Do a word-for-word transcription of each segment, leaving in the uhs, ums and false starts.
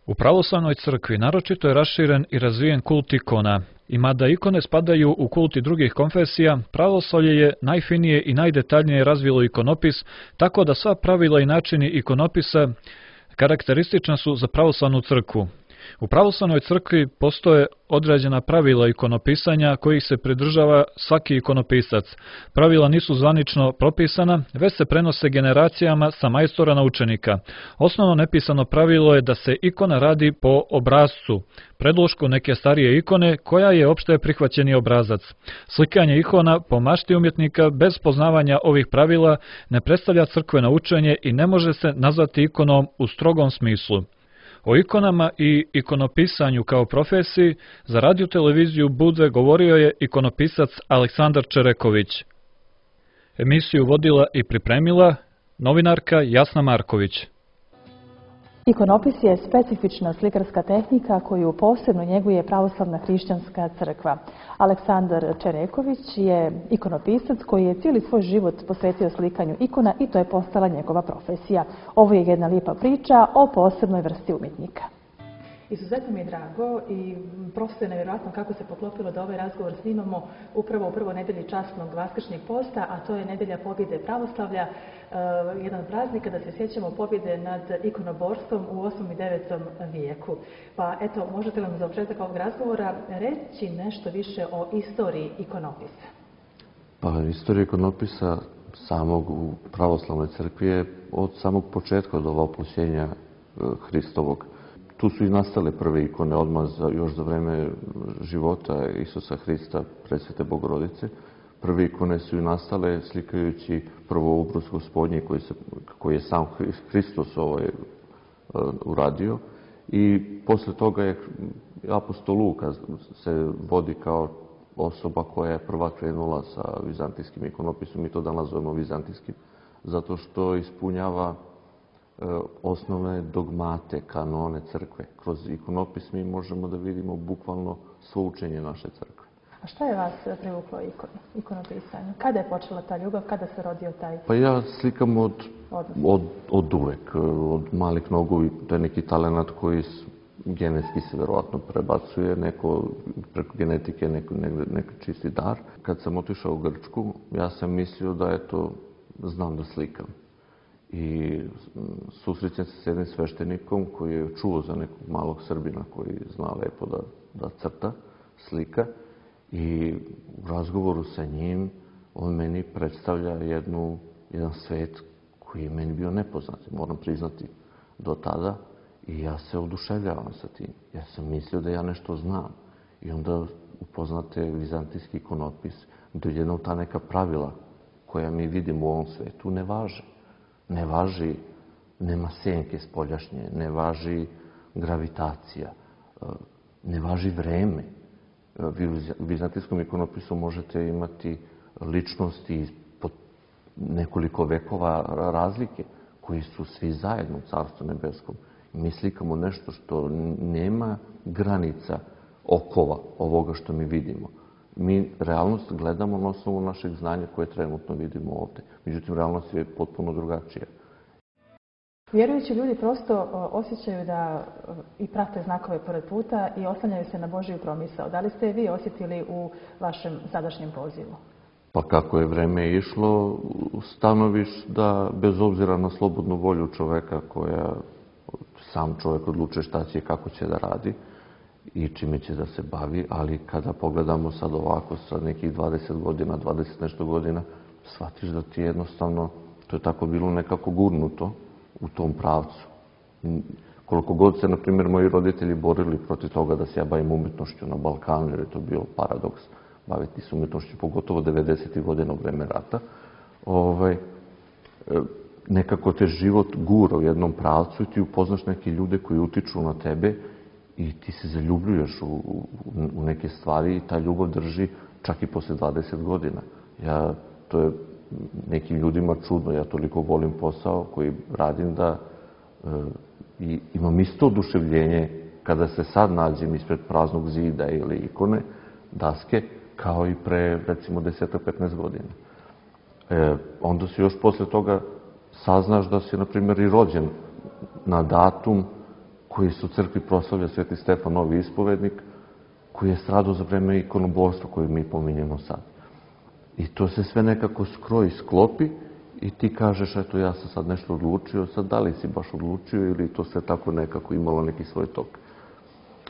U pravoslavnoj crkvi naročito je raširen i razvijen kult ikona. I mada ikone spadaju u kult i drugih konfesija, pravoslavlje je najfinije i najdetaljnije razvilo ikonopis, tako da sva pravila i načini ikonopisa karakteristična su za pravoslavnu crkvu. U pravoslavnoj crkvi postoje određena pravila ikonopisanja kojih se pridržava svaki ikonopisac. Pravila nisu zvanično propisana, već se prenose generacijama sa majstora na učenika. Osnovno nepisano pravilo je da se ikona radi po obrascu, predlošku neke starije ikone koja je opšte prihvaćeni obrazac. Slikanje ikona po mašti umjetnika bez poznavanja ovih pravila ne predstavlja crkveno učenje i ne može se nazvati ikonom u strogom smislu. O ikonama i ikonopisanju kao profesiji za radio televiziju Budve govorio je ikonopisac Aleksandar Čereković. Emisiju vodila i pripremila novinarka Jasna Marković. Ikonopis je specifična slikarska tehnika koju posebno njeguje pravoslavna hrišćanska crkva. Aleksandar Čereković je ikonopisac koji je cijeli svoj život posvetio slikanju ikona i to je postala njegova profesija. Ovo je jedna lijepa priča o posebnoj vrsti umjetnika. Izuzetno mi je drago i prosto je nevjerojatno kako se poklopilo da ovaj razgovor snimamo upravo u prvoj nedelji časnog vaskršnjeg posta, a to je nedelja pobjede pravoslavlja, jedan praznik kada se sjećamo pobjede nad ikonoborstvom u osmom i devetom vijeku. Pa eto, možete li nam za početak ovog razgovora reći nešto više o istoriji ikonopisa? Pa, istorija ikonopisa samog u pravoslavnoj crkvi je od samog početka, od ovoploćenja Hristovog. Tu su i nastale prve ikone odmah za, još za vreme života Isusa Hrista, Presvete Bogorodice. Prve ikone su i nastale slikajući prvo obraz Gospodnji koji, se, koji je sam Hristos ovaj, uradio. I posle toga je apostol Luka se vodi kao osoba koja je prva krenula sa vizantijskim ikonopisom i to danas zovemo vizantijskim, zato što ispunjava osnovne dogmate, kanone crkve. Kroz ikonopis mi možemo da vidimo bukvalno svo učenje naše crkve. A šta je vas privuklo ikonopisanju? Kada je počela ta ljubav? Kada se rodio taj... Pa ja slikam od, od, od uvek, od malih nogu. To je neki talenat koji genetski se verovatno prebacuje, neko preko genetike, neko, neko čisti dar. Kad sam otišao u Grčku, ja sam mislio da eto, znam da slikam. I susrećem se s jednim sveštenikom koji je čuo za nekog malog Srbina koji zna lepo da, da crta, slika. I u razgovoru sa njim on meni predstavlja jednu, jedan svet koji je meni bio nepoznat, moram priznati, do tada. I ja se oduševljavam sa tim. Ja sam mislio da ja nešto znam. I onda upoznate vizantijski ikonopis, gdje jedno ta neka pravila koja mi vidimo u ovom svetu ne važe. Ne važi, nema senke spoljašnje, ne važi gravitacija, ne važi vreme. Vi u vizantijskom ikonopisu možete imati ličnosti pod nekoliko vekova razlike, koji su svi zajedno u Carstvu nebeskom. Mi slikamo nešto što nema granica okova ovoga što mi vidimo. Mi realnost gledamo na osnovu našeg znanja koje trenutno vidimo ovde. Međutim, realnost je potpuno drugačija. Vjerujući ljudi prosto osjećaju da i prate znakove pored puta i oslanjaju se na Božiju promisao. Da li ste vi osjetili u vašem sadašnjem pozivu? Pa kako je vreme išlo, stanoviš da bez obzira na slobodnu volju čoveka koja sam čovek odlučuje šta će i kako će da radi i čime će da se bavi, ali kada pogledamo sad ovako sa nekih dvadeset godina, dvadeset nešto godina, shvatiš da ti jednostavno, to je tako bilo nekako gurnuto u tom pravcu. Koliko god se, na primjer, moji roditelji borili protiv toga da se ja bavim umjetnošću na Balkanu, jer je to bio paradoks baviti se umjetnošću, pogotovo devedesetih godina u vreme rata, ovaj, nekako te život gura u jednom pravcu i ti upoznaš neke ljude koji utiču na tebe i ti se zaljubljuješ u, u, u neke stvari i ta ljubav drži čak i posle dvadeset godina. Ja, to je nekim ljudima čudno, ja toliko volim posao koji radim da e, i imam isto oduševljenje kada se sad nađem ispred praznog zida ili ikone, daske, kao i pre recimo deset do petnaest godina. E, onda se još posle toga saznaš da si, na primjer, i rođen na datum koji se u crkvi proslavlja Sveti Stefan Novi ispovednik, koji je stradao za vreme ikonoborstva koje mi pominjemo sad. I to se sve nekako skroji, sklopi i ti kažeš, eto, ja sam sad nešto odlučio, sad da li si baš odlučio ili to sve tako nekako imalo neki svoj tok.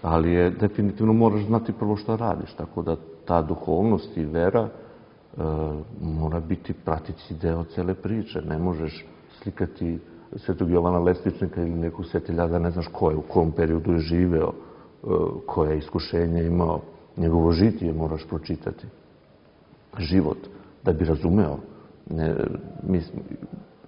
Ali je, definitivno moraš znati prvo šta radiš, tako da ta duhovnost i vera e, mora biti pratići deo cele priče. Ne možeš slikati Svetog Jovana Lesničnika ili nekog svetelja da ne znaš ko je, u kom periodu je živeo, e, koje iskušenje imao. Njegovo žitije moraš pročitati. Život, da bi razumeo. Ne, mi,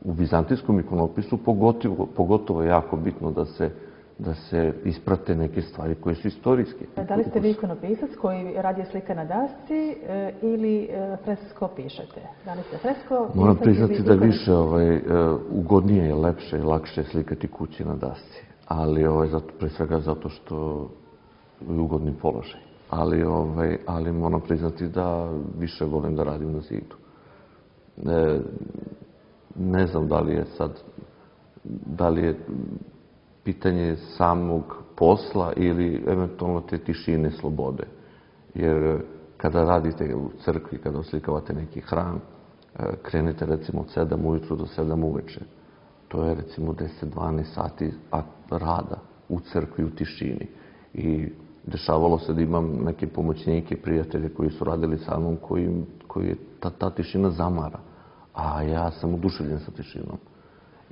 u vizantijskom ikonopisu pogotovo, pogotovo je jako bitno da se da se isprate neke stvari koje su istorijske. Da li ste vi ikonopisac koji radi slika na dasci e, ili e, fresko pišete? Da li ste fresko pisac? Moram priznati da više ovaj, e, ugodnije je, lepše i lakše slikati kući na dasci. Ali ovaj, zato, pre svega zato što je ugodni položaj. Ali, ovaj, ali moram priznati da više volim da radim na zidu. E, ne znam da li je sad, da li je pitanje samog posla ili eventualno te tišine, slobode. Jer kada radite u crkvi, kada oslikavate neki hram, krenete recimo od sedam ujutru do sedam uveče. To je recimo deset do dvanaest sati rada u crkvi, u tišini. I dešavalo se da imam neke pomoćnike, prijatelje koji su radili sa mnom, koji, koji je ta, ta tišina zamara. A ja sam oduševljen sa tišinom.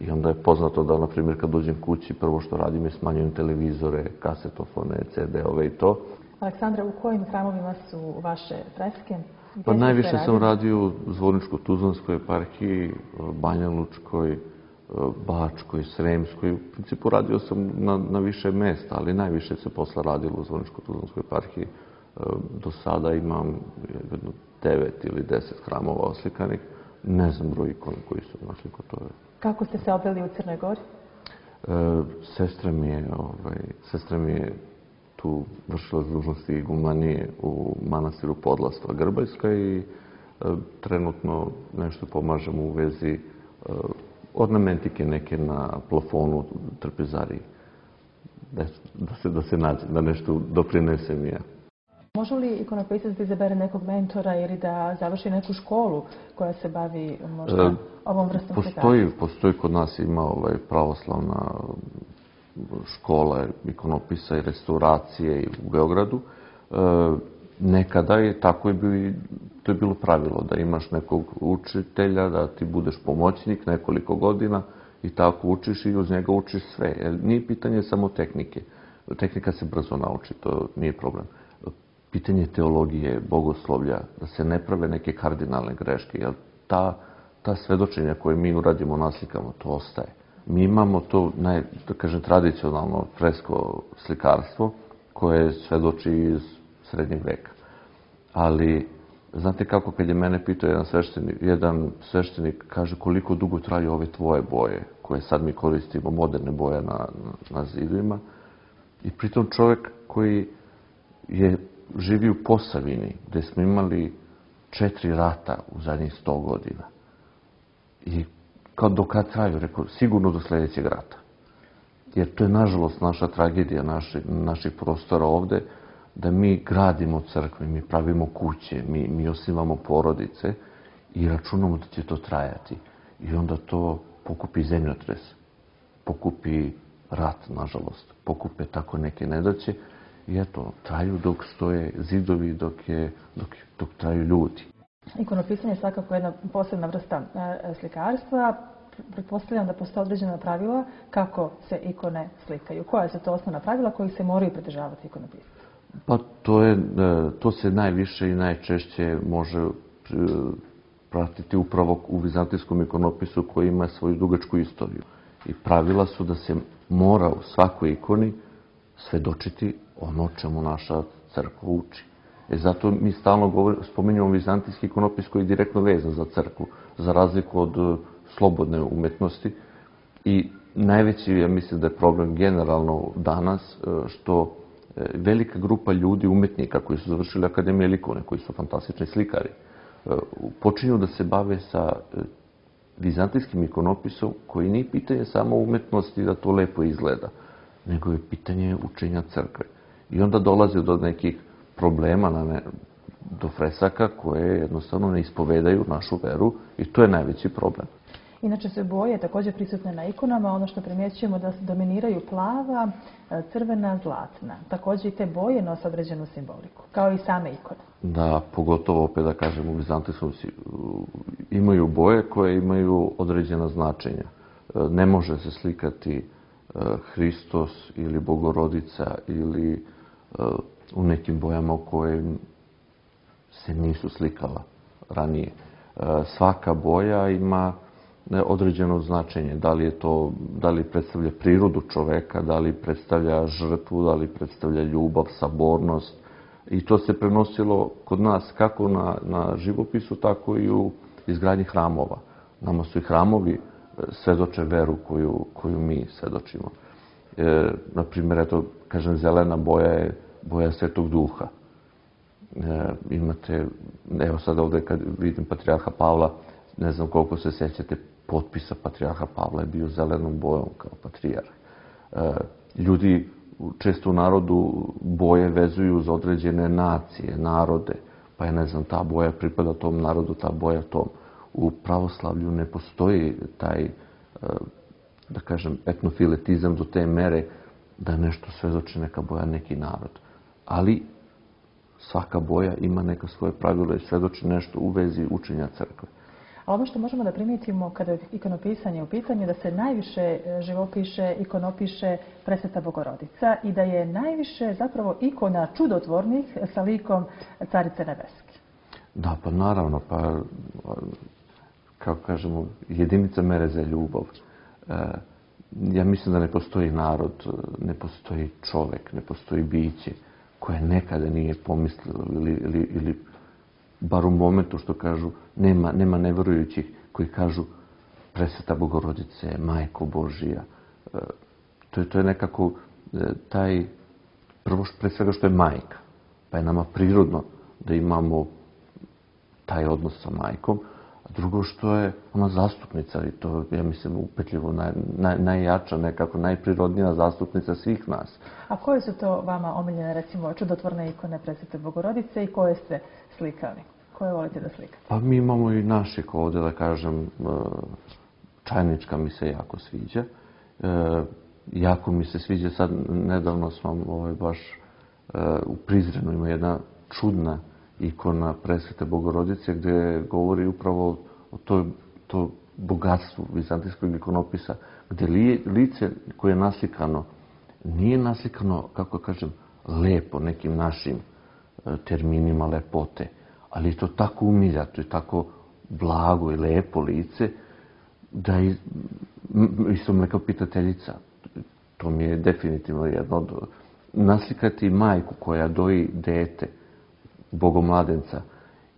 I onda je poznato da, na primjer, kad dođem kući, prvo što radim je smanjujem televizore, kasetofone, ce de ove i to. Aleksandra, u kojim hramovima su vaše freske? Pa najviše sam radio u Zvorničko-Tuzlanskoj eparhiji, Banja Lučkoj, Bačkoj, Sremskoj. U principu radio sam na, na više mesta, ali najviše se posle radilo u Zvorničko-Tuzlanskoj eparhiji. Do sada imam jedno devet ili deset hramova oslikanih. Ne znam broj ikona koji su našli kod toga. Kako ste se obeli u Crnoj Gori? E, sestra mi je, ovaj, sestra mi je tu vršila dužnosti igumanije u manastiru Podlastva Grbajska i e, trenutno nešto pomažemo u vezi e, ornamentike neke na plafonu trpezariji. Da, da, se, da se nađe, da nešto doprinesem ja. Može li ikonopisac da izabere nekog mentora ili da završi neku školu koja se bavi možda e, ovom vrstom postoji, postoji kod nas ima ovaj, pravoslavna škola ikonopisa i restauracije u Beogradu. E, nekada je tako je bilo, to je bilo pravilo da imaš nekog učitelja, da ti budeš pomoćnik nekoliko godina i tako učiš i uz njega učiš sve. Jer nije pitanje samo tehnike. Tehnika se brzo nauči, to nije problem. Pitanje teologije, bogoslovlja, da se ne prave neke kardinalne greške, jer ta, ta svedočenja koje mi uradimo, naslikamo, to ostaje. Mi imamo to, naj, da kažem, tradicionalno fresko slikarstvo koje svedoči iz srednjeg veka. Ali, znate kako, kad je mene pitao jedan sveštenik, jedan sveštenik kaže koliko dugo traju ove tvoje boje, koje sad mi koristimo, moderne boje na, na, na zidovima, i pritom čovjek koji je živi u Posavini, gde smo imali četiri rata u zadnjih sto godina. I kao do kad traju, rekao, sigurno do sljedećeg rata. Jer to je, nažalost, naša tragedija naši, naših prostora ovde, da mi gradimo crkve, mi pravimo kuće, mi, mi osnivamo porodice i računamo da će to trajati. I onda to pokupi zemljotres, pokupi rat, nažalost, pokupe tako neke nedaće. I eto, traju dok stoje zidovi, dok, je, dok, dok traju ljudi. Ikonopisanje je svakako jedna posebna vrsta e, slikarstva. Pretpostavljam da postoje određena pravila kako se ikone slikaju. Koja su to osnovna pravila kojih se moraju pridržavati ikonopisci? Pa to, je, to se najviše i najčešće može pratiti upravo u vizantijskom ikonopisu koji ima svoju dugačku istoriju. I pravila su da se mora u svakoj ikoni svedočiti ono čemu naša crkva uči. E zato mi stalno govorimo, spominjamo vizantijski ikonopis koji je direktno vezan za crkvu, za razliku od slobodne umetnosti. I najveći, ja mislim da je problem generalno danas, što velika grupa ljudi, umetnika koji su završili Akademije likovne, koji su fantastični slikari, počinju da se bave sa vizantijskim ikonopisom koji nije pitanje samo umetnosti da to lepo izgleda, nego je pitanje učenja crkve. I onda dolazi do nekih problema, na ne, do fresaka koje jednostavno ne ispovedaju našu veru i to je najveći problem. Inače su boje također prisutne na ikonama, ono što primjećujemo da dominiraju plava, crvena, zlatna. Također i te boje nose određenu simboliku, kao i same ikone. Da, pogotovo opet da kažem u Vizantijskom imaju boje koje imaju određena značenja. Ne može se slikati Hristos ili Bogorodica ili u nekim bojama u kojim se nisu slikala ranije. Svaka boja ima određeno značenje. Da li je to, da li predstavlja prirodu čoveka, da li predstavlja žrtvu, da li predstavlja ljubav, sabornost. I to se prenosilo kod nas kako na, na živopisu, tako i u izgradnji hramova. Nama su i hramovi svedoče veru koju, koju mi svedočimo. E, naprimjer, eto, kažem, zelena boja je boja Svetog Duha. E, imate, evo sad ovdje kad vidim patrijarha Pavla, ne znam koliko se sjećate potpisa patrijarha Pavla je bio zelenom bojom kao patrijarh. E, ljudi često u narodu boje vezuju za određene nacije, narode, pa je, ne znam, ta boja pripada tom narodu, ta boja tom. U pravoslavlju ne postoji taj, da kažem, etnofiletizam do te mere da nešto svedoči neka boja, neki narod. Ali svaka boja ima neka svoje pravila i svedoči nešto u vezi učenja crkve. A ono što možemo da primijetimo kada je ikonopisanje u pitanju, da se najviše živopiše, ikonopiše Presveta Bogorodica i da je najviše zapravo ikona čudotvornih sa likom Carice Nebeske. Da, pa naravno, pa kako kažemo, jedinica mere za ljubav. Ja mislim da ne postoji narod, ne postoji čovek, ne postoji biće koje nekada nije pomislilo ili, ili, ili bar u momentu što kažu, nema, nema neverujućih koji kažu Presveta Bogorodice, Majko Božija. To je, to je nekako taj, prvo pre svega što je majka, pa je nama prirodno da imamo taj odnos sa majkom, a drugo što je ona zastupnica i to, ja mislim, upetljivo naj, naj, najjača, nekako najprirodnija zastupnica svih nas. A koje su to vama omiljene, recimo, čudotvorne ikone Presvete Bogorodice i koje ste slikali? Koje volite da slikate? Pa mi imamo i naših ovdje, da kažem, Čajnička mi se jako sviđa. E, jako mi se sviđa, sad nedavno smo ovaj, baš e, u Prizrenu ima jedna čudna ikona Presvete Bogorodice gdje govori upravo o toj, to bogatstvu vizantijskog ikonopisa, gdje li, lice koje je naslikano nije naslikano, kako kažem, lepo nekim našim e, terminima lepote, ali je to tako umiljato i tako blago i lepo lice da je, isto me kao pitateljica, to mi je definitivno jedno od, naslikati majku koja doji dete, bogomladenca,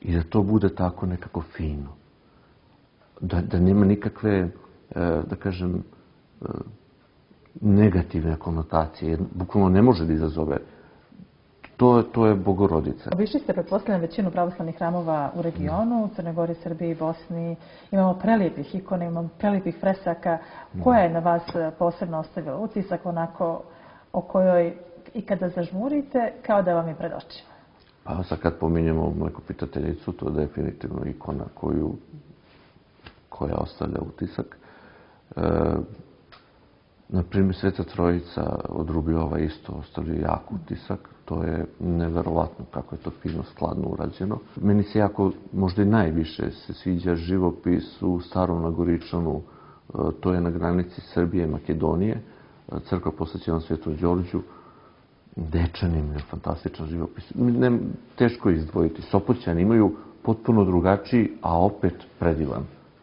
i da to bude tako nekako fino. Da, da nema nikakve, da kažem, negativne konotacije. Bukvalno ne može da izazove. To, to je Bogorodica. Obišli ste, pretpostavljam, većinu pravoslavnih hramova u regionu, u Crnoj Gori, Srbiji, Bosni. Imamo prelijepih ikona, imamo prelijepih fresaka. Koja je na vas posebno ostavila utisak, onako o kojoj i kada zažmurite, kao da vam je pred očima? Pa sad kad pominjemo Mlekopitateljicu, to je definitivno ikona koju, koja ostavlja utisak. E, Naprimjer, Sveta Trojica od Rubiova isto ostavlja jak utisak. To je neverovatno kako je to fino, skladno urađeno. Meni se jako, možda i najviše, se sviđa živopis u Starom Nagoričanu. To je na granici Srbije i Makedonije. Crkva posvećena Svetom Đorđu. Dečanin je fantastičan živopis. Ne, teško je izdvojiti. Sopoćani imaju potpuno drugačiji, a opet predivan,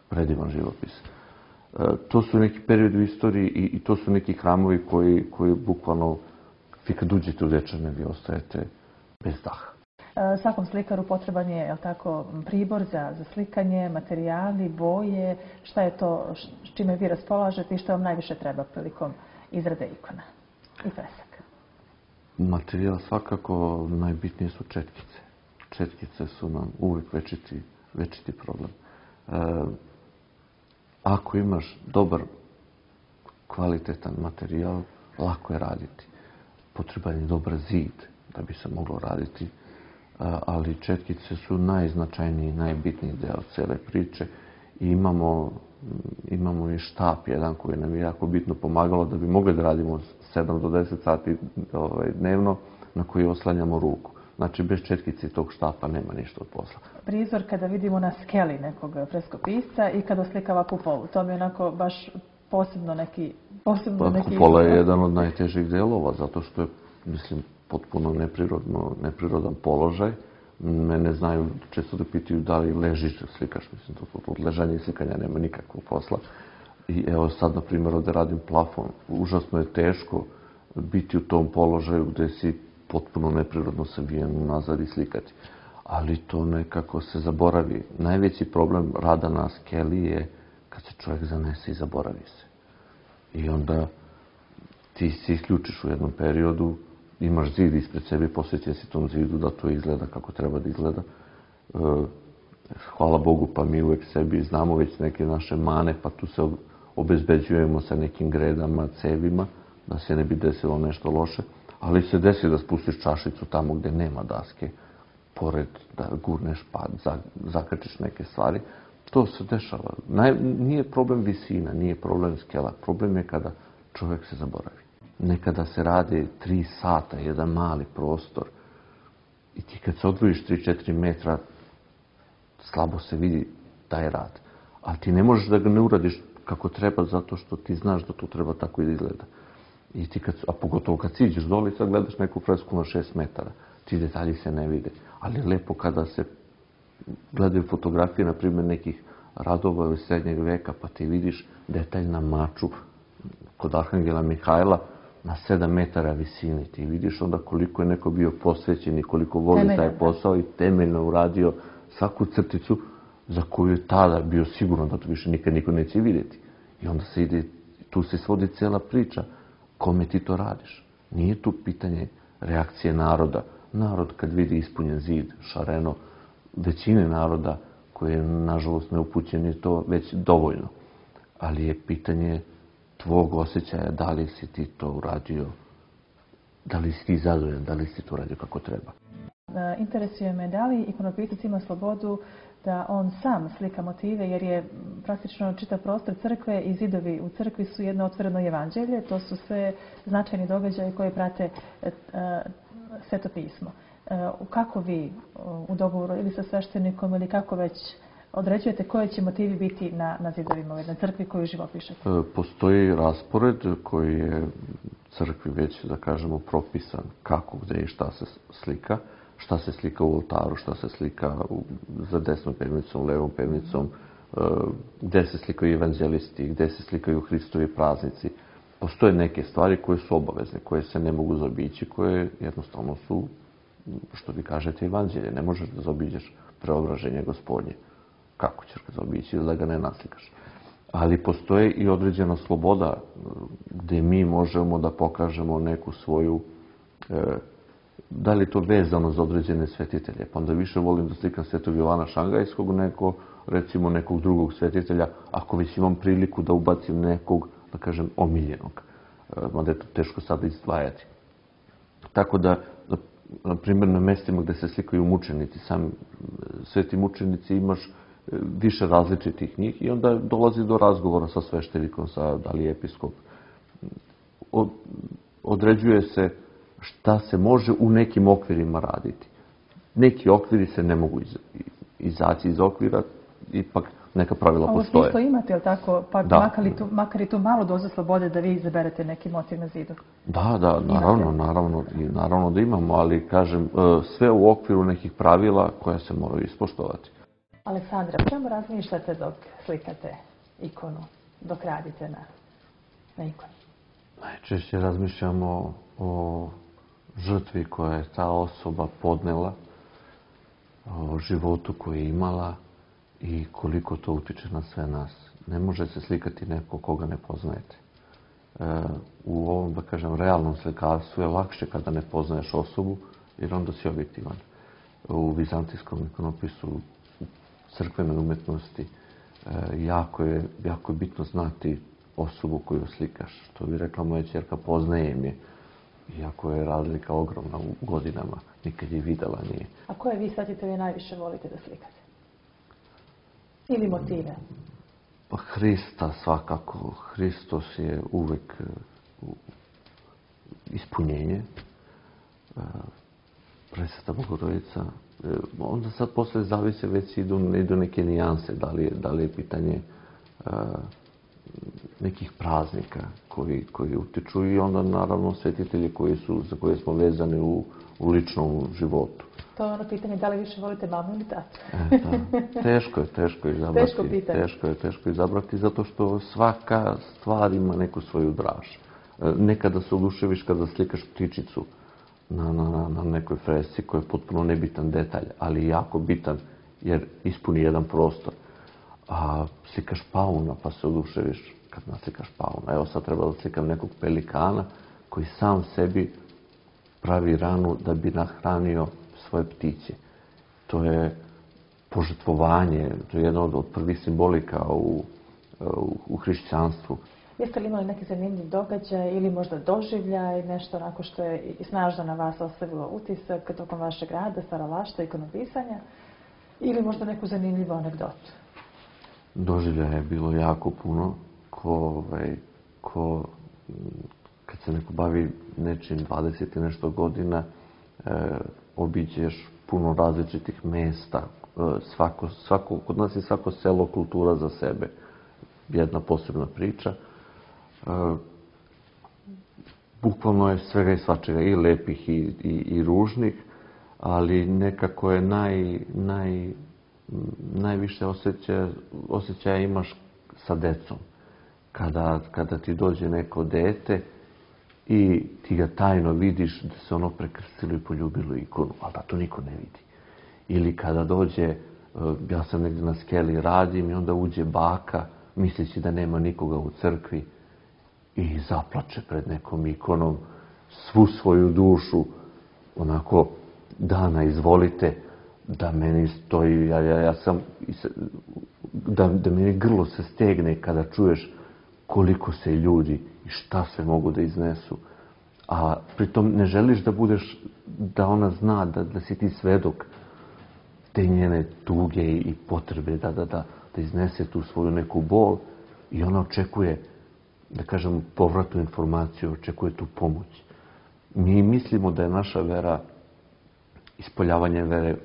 predivan živopis. E, to su neki periodi u istoriji i, i to su neki hramovi koji, koji bukvalno, vi kad uđete u Dečane, vi ostajete bez daha. E, svakom slikaru potreban je, jel tako, pribor za, za slikanje, materijali, boje. Šta je to s čime vi raspolažete i što vam najviše treba prilikom izrade ikona i fresaka? Materijal svakako najbitnije su četkice. Četkice su nam uvijek večiti, večiti problem. E, ako imaš dobar, kvalitetan materijal, lako je raditi. Potreban je dobar zid da bi se moglo raditi, ali četkice su najznačajniji, najbitniji deo cele priče i imamo, imamo i štap jedan koji nam je jako bitno pomagalo da bi mogli da radimo sedam do deset sati ovaj, dnevno na koji oslanjamo ruku. Znači, bez četkice i tog štapa nema ništa od posla. Prizor kada vidimo na skeli nekog freskopisca i kada oslikava kupolu, to mi je onako baš posebno neki... Posebno pa, neki kupola je jedan od najtežih delova, zato što je, mislim, potpuno neprirodno, neprirodan položaj. Mene znaju, često da pitaju da li ležiš da slikaš, mislim, to od ležanja i slikanja nema nikakvog posla. I evo sad, na primjer, ovdje radim plafon. Užasno je teško biti u tom položaju gdje si potpuno neprirodno savijen nazad i slikati. Ali to nekako se zaboravi. Najveći problem rada na skeli je kad se čovjek zanese i zaboravi se. I onda ti se isključiš u jednom periodu, imaš zid ispred sebe, posvećen si tom zidu da to izgleda kako treba da izgleda. Hvala Bogu, pa mi uvek sebi znamo već neke naše mane, pa tu se obezbeđujemo sa nekim gredama, cevima, da se ne bi desilo nešto loše. Ali se desi da spustiš čašicu tamo gdje nema daske, pored da gurneš pad, zakačiš neke stvari. To se dešava. Nije problem visina, nije problem skela. Problem je kada čovjek se zaboravi. Nekada se radi tri sata, jedan mali prostor. I ti kad se odvojiš tri do četiri metra, slabo se vidi taj rad. Ali ti ne možeš da ga ne uradiš kako treba, zato što ti znaš da to treba tako i da izgleda. I ti kad, a pogotovo kad siđeš dole i sad gledaš neku fresku na šest metara, ti detalji se ne vide. Ali je lepo kada se gledaju fotografije, na primjer, nekih radova iz srednjeg veka, pa ti vidiš detalj na maču kod Arhangela Mihajla na sedam metara visini. Ti vidiš onda koliko je neko bio posvećen i koliko voli taj posao i temeljno uradio svaku crticu za koju je tada bio siguran da to više nikad niko neće vidjeti. I onda se ide, tu se svodi cela priča. Kome ti to radiš? Nije tu pitanje reakcije naroda. Narod kad vidi ispunjen zid, šareno, većine naroda koji je nažalost neupućen je to već dovoljno. Ali je pitanje tvog osjećaja da li si ti to uradio, da li si ti zadovoljan, da li si to uradio kako treba. Interesuje me da li ikonopisac ima slobodu da on sam slika motive, jer je praktično čitav prostor crkve i zidovi u crkvi su jedno otvoreno evanđelje. To su sve značajni događaji koji prate Sveto pismo. Kako vi u dogovoru ili sa sveštenikom ili kako već određujete koji će motivi biti na, na zidovima u jednoj crkvi koju živopišete? Postoji raspored koji je crkvi već, da kažemo, propisan kako, gde i šta se slika. Šta se slika u oltaru, šta se slika za desnom pevnicom, levom pevnicom, gde se slikaju evanđelisti, gde se slikaju Hristovi praznici. Postoje neke stvari koje su obavezne, koje se ne mogu zaobići, koje jednostavno su, što vi kažete, evanđelje. Ne možeš da zaobiđeš preobraženje Gospodnje. Kako ćeš ga zaobići da ga ne naslikaš? Ali postoje i određena sloboda gde mi možemo da pokažemo neku svoju da li je to vezano za određene svetitelje. Pa onda više volim da slikam Svetog Jovana Šangajskog nego, recimo, nekog drugog svetitelja, ako već imam priliku da ubacim nekog, da kažem, omiljenog. Mada je to teško sada izdvajati. Tako da, na primjer, na mestima gde se slikaju mučenici, sami sveti mučenici, imaš više različitih njih i onda dolazi do razgovora sa sveštenikom, sa da li je episkop. Određuje se šta se može u nekim okvirima raditi. Neki okviri se ne mogu izaći iz okvira, ipak neka pravila postoje. Ovo smislo imate, je li tako? Pa makar, tu, makar i tu malo dozu slobode da vi izaberete neki motiv na zidu. Da, da, naravno, naravno, naravno da imamo, ali kažem, sve u okviru nekih pravila koja se moraju ispoštovati. Aleksandra, čemu razmišljate dok slikate ikonu, dok radite na, na ikoni? Najčešće razmišljamo o žrtvi koja je ta osoba podnela, o životu koji je imala i koliko to utiče na sve nas. Ne može se slikati neko koga ne poznajete. U ovom, da kažem, realnom slikarstvu je lakše kada ne poznaješ osobu, jer onda si objektivan. U vizantijskom ikonopisu, u crkvenoj umetnosti, jako je, jako je bitno znati osobu koju slikaš. Što bi rekla moja ćerka, poznajem je. Iako je razlika ogromna u godinama, nikad je videla nije. A koje vi svetitelje najviše volite da slikate? Ili motive? Pa Hrista svakako. Hristos je uvek ispunjenje. Presveta Bogorodica. Onda sad posle zavise već idu, idu neke nijanse. Da li je, da li je pitanje uh, nekih praznika koji, koji utiču i onda naravno svetitelji koji su, za koje smo vezani u, u ličnom životu. To je ono pitanje da li više volite mamu ili tatu? E, da. Teško je, teško je izabrati. Teško pitanje. Teško je, teško je izabrati zato što svaka stvar ima neku svoju draž. Nekada se oduševiš kada slikaš ptičicu na, na, na nekoj fresci koji je potpuno nebitan detalj, ali jako bitan jer ispuni jedan prostor. A slikaš pauna pa se oduševiš kad naslikaš pauna. Evo sad treba da slikam nekog pelikana koji sam sebi pravi ranu da bi nahranio svoje ptiće. To je požrtvovanje, to je jedna od prvih simbolika u, u, u hrišćanstvu. Jeste li imali neki zanimljiv događaj ili možda doživljaj, nešto onako što je snažno na vas ostavilo utisak tokom vašeg rada, stvaralaštva, ikonopisanja ili možda neku zanimljivu anegdotu? Doživljaja je bilo jako puno. Ko, ovaj, ko, kad se neko bavi nečim dvadeset i nešto godina, e, obiđeš puno različitih mesta. E, svako, svako, kod nas je svako selo kultura za sebe. Jedna posebna priča. E, bukvalno je svega i svačega, i lepih i, i, i ružnih, ali nekako je naj, naj, najviše osjećaja, osjećaja imaš sa decom. Kada, kada ti dođe neko dete i ti ga tajno vidiš da se ono prekrstilo i poljubilo ikonu, ali da to niko ne vidi. Ili kada dođe, ja sam negdje na skeli radim i onda uđe baka, misleći da nema nikoga u crkvi i zaplače pred nekom ikonom svu svoju dušu, onako, Dana, izvolite, da meni stoji, ja, ja, ja sam, da, da meni grlo se stegne kada čuješ koliko se ljudi i šta se mogu da iznesu. A pritom ne želiš da budeš, da ona zna da, da si ti svedok te njene tuge i potrebe da, da, da, da iznese tu svoju neku bol i ona očekuje, da kažem, povratnu informaciju, očekuje tu pomoć. Mi mislimo da je naša vera, ispoljavanje vere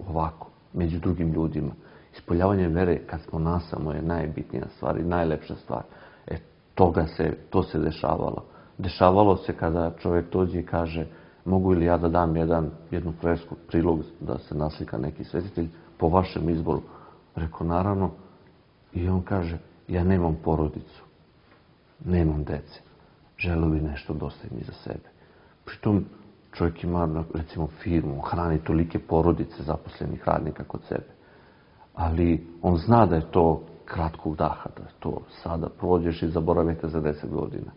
ovako, među drugim ljudima. Ispoljavanje vere kad smo nasamo je najbitnija stvar i najlepša stvar. E, toga se, to se dešavalo. Dešavalo se kada čovjek dođe i kaže mogu li ja da dam jedan, jednu fresku, prilog da se naslika neki svetitelj po vašem izboru. Rekao, naravno. I on kaže, ja nemam porodicu, nemam dece, želeo bi nešto da ostavim iza sebe. Pritom čovjek ima, recimo, firmu, hrani tolike porodice zaposlenih radnika kod sebe. Ali on zna da je to kratkog daha, da je to sada prođeš i zaboravite za deset godina.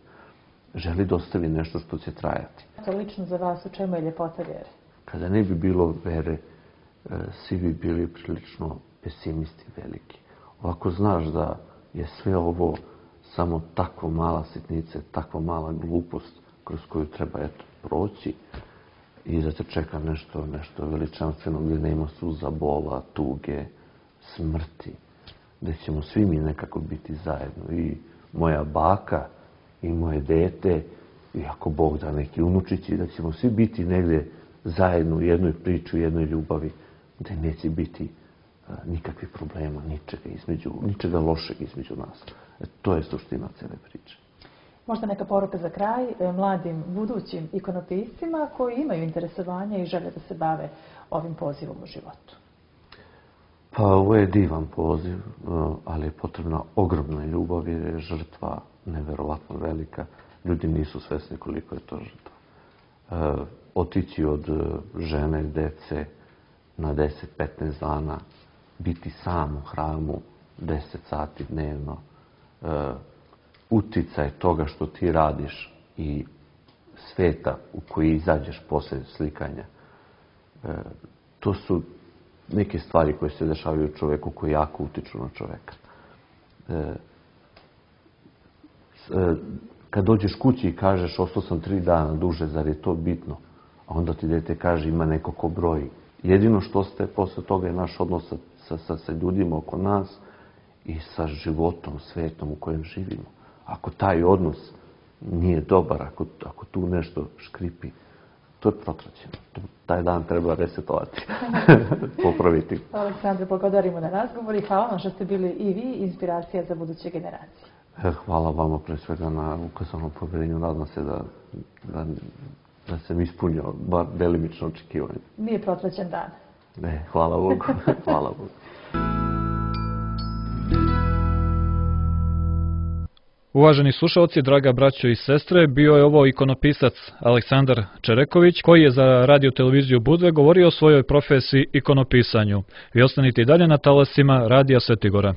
Želi da ostavi nešto što će trajati. To lično za vas, u čemu je ljepota vere? Kada ne bi bilo vere, svi bi bili prilično pesimisti veliki. Ovako znaš da je sve ovo samo takva mala sitnica, takva mala glupost kroz koju treba eto proći i da te čeka nešto, nešto veličanstveno gdje nema suza, bola, tuge, smrti, gdje ćemo svi mi nekako biti zajedno. I moja baka i moje dete, i ako Bog da neki unučići, da ćemo svi biti negdje zajedno u jednoj priči, u jednoj ljubavi, gdje neće biti a, nikakvih problema, ničega, između, ničega lošeg između nas. E, to je suština cijele priče. Možda neka poruka za kraj mladim budućim ikonopiscima koji imaju interesovanja i žele da se bave ovim pozivom u životu. Pa ovo je divan poziv, ali je potrebna ogromna ljubav jer je žrtva neverovatno velika. Ljudi nisu svesni koliko je to žrtva. Otići od žene, dece na deset do petnaest dana, biti sam u hramu deset sati dnevno, uticaj toga što ti radiš i sveta u koji izađeš posle slikanja. To su neke stvari koje se dešavaju čoveku koji jako utiču na čoveka. kad dođeš kući i kažeš ostao sam tri dana duže, zar je to bitno? A onda ti dete kaže ima neko ko broji. Jedino što ostaje posle toga je naš odnos sa, sa, sa ljudima oko nas i sa životom, svetom u kojem živimo. Ako taj odnos nije dobar, ako, ako tu nešto škripi, to je protraćeno. Taj dan treba resetovati, popraviti. Aleksandre, благодарimo na razgovor i hvala vam što ste bili i vi inspiracija za buduće generacije. Hvala vama pre svega na ukazanom poverenju. Nadam se da, da, da sam ispunio bar delimično očekivanje. Nije protraćen dan. Ne, hvala Bogu. Hvala Bogu. Uvaženi slušalci, draga braćo i sestre, bio je ovo ikonopisac Aleksandar Čereković, koji je za radio televiziju Budve govorio o svojoj profesiji ikonopisanju. Vi ostanite i dalje na talasima Radija Svetigora.